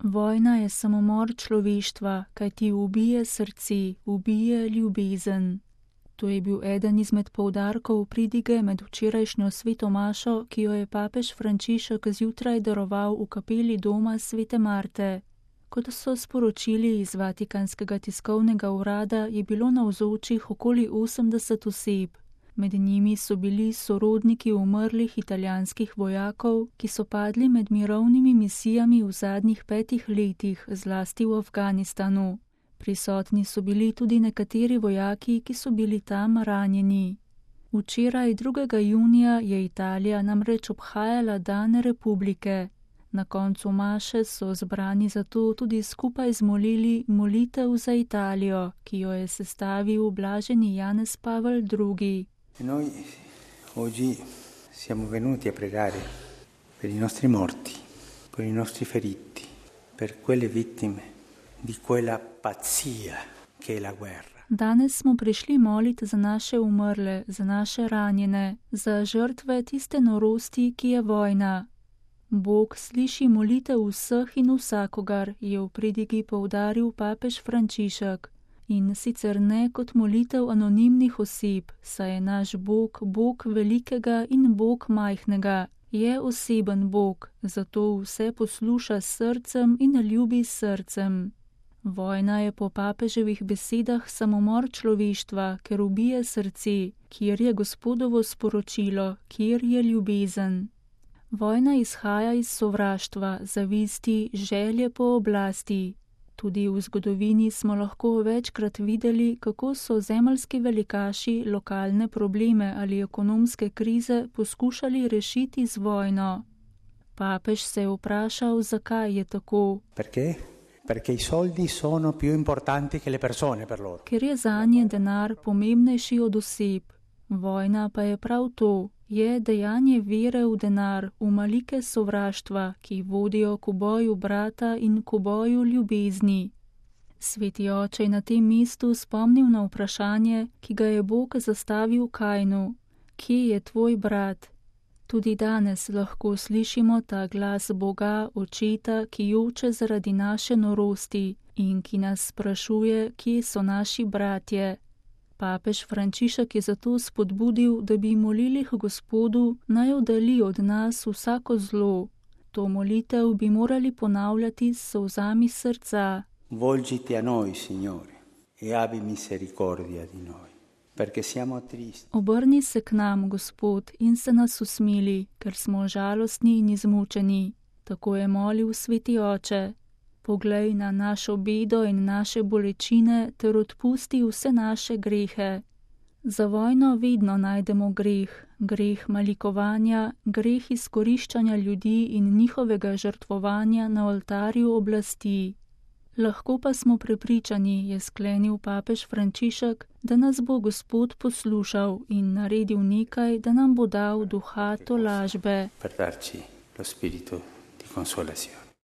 Vojna je samomor človeštva, kajti ubije srce, ubije ljubezen. To je bil eden izmed poudarkov pridige med včerajšnjo sveto mašo, ki jo je papež Frančišek zjutraj daroval v kapeli doma svete Marte. Kot so sporočili iz Vatikanskega tiskovnega urada, je bilo navzočih okoli 80 oseb. Med njimi so bili sorodniki umrlih italijanskih vojakov, ki so padli med mirovnimi misijami v zadnjih 5 letih, zlasti v Afganistanu. Prisotni so bili tudi nekateri vojaki, ki so bili tam ranjeni. Včeraj, 2. junija, je Italija namreč obhajala dan republike. Na koncu maše so zbrani zato tudi skupaj zmolili molitev za Italijo, ki jo je sestavil blaženi Janez Pavel II. Noi oggi siamo venuti a pregare per i nostri morti, per i nostri feriti, per quelle vittime di quella pazzia che è la guerra. Danes smo prišli moliti za naše umrle, za naše ranjene, za žrtve tiste norosti, ki je vojna. Bog sliši molitev vseh in vsakogar, je v pridigi poudaril papež Frančišek. In sicer ne kot molitev anonimnih oseb, saj je naš Bog Bog velikega in Bog majhnega. Je oseben Bog, zato vse posluša s srcem in ljubi s srcem. Vojna je po papeževih besedah samomor človeštva, ker ubije srce, kjer je Gospodovo sporočilo, kjer je ljubezen. Vojna izhaja iz sovraštva, zavisti, želje po oblasti. Tudi v zgodovini smo lahko večkrat videli, kako so zemeljski velikaši lokalne probleme ali ekonomske krize poskušali rešiti z vojno. Papež se je vprašal, zakaj je tako. Perché i soldi sono più importanti che le persone per loro. Ker je zanje denar pomembnejši od oseb. Vojna pa je prav to. Je dejanje vere v denar, v malike sovraštva, ki vodijo k uboju brata in k uboju ljubezni. Sveti oče je na tem mestu spomnil na vprašanje, ki ga je Bog zastavil Kainu. Kje je tvoj brat? Tudi danes lahko slišimo ta glas Boga, očeta, ki joče zaradi naše norosti in ki nas sprašuje, kje so naši bratje. Papež Frančišek je zato spodbudil, da bi molili k Gospodu, naj oddali od nas vsako zlo. To molitev bi morali ponavljati s solzami srca. Volgiti a noi, Signore, e abbi misericordia di noi, perché siamo tristi. Obrni se k nam, Gospod, in se nas usmili, ker smo žalostni in izmučeni. Tako je molil sveti oče. Poglej na našo bedo in naše bolečine ter odpusti vse naše grehe. Za vojno vedno najdemo greh, greh malikovanja, greh izkoriščanja ljudi in njihovega žrtvovanja na oltarju oblasti. Lahko pa smo prepričani, je sklenil papež Frančišek, da nas bo Gospod poslušal in naredil nekaj, da nam bo dal duha tolažbe. Per darci lo spirito di consolazione.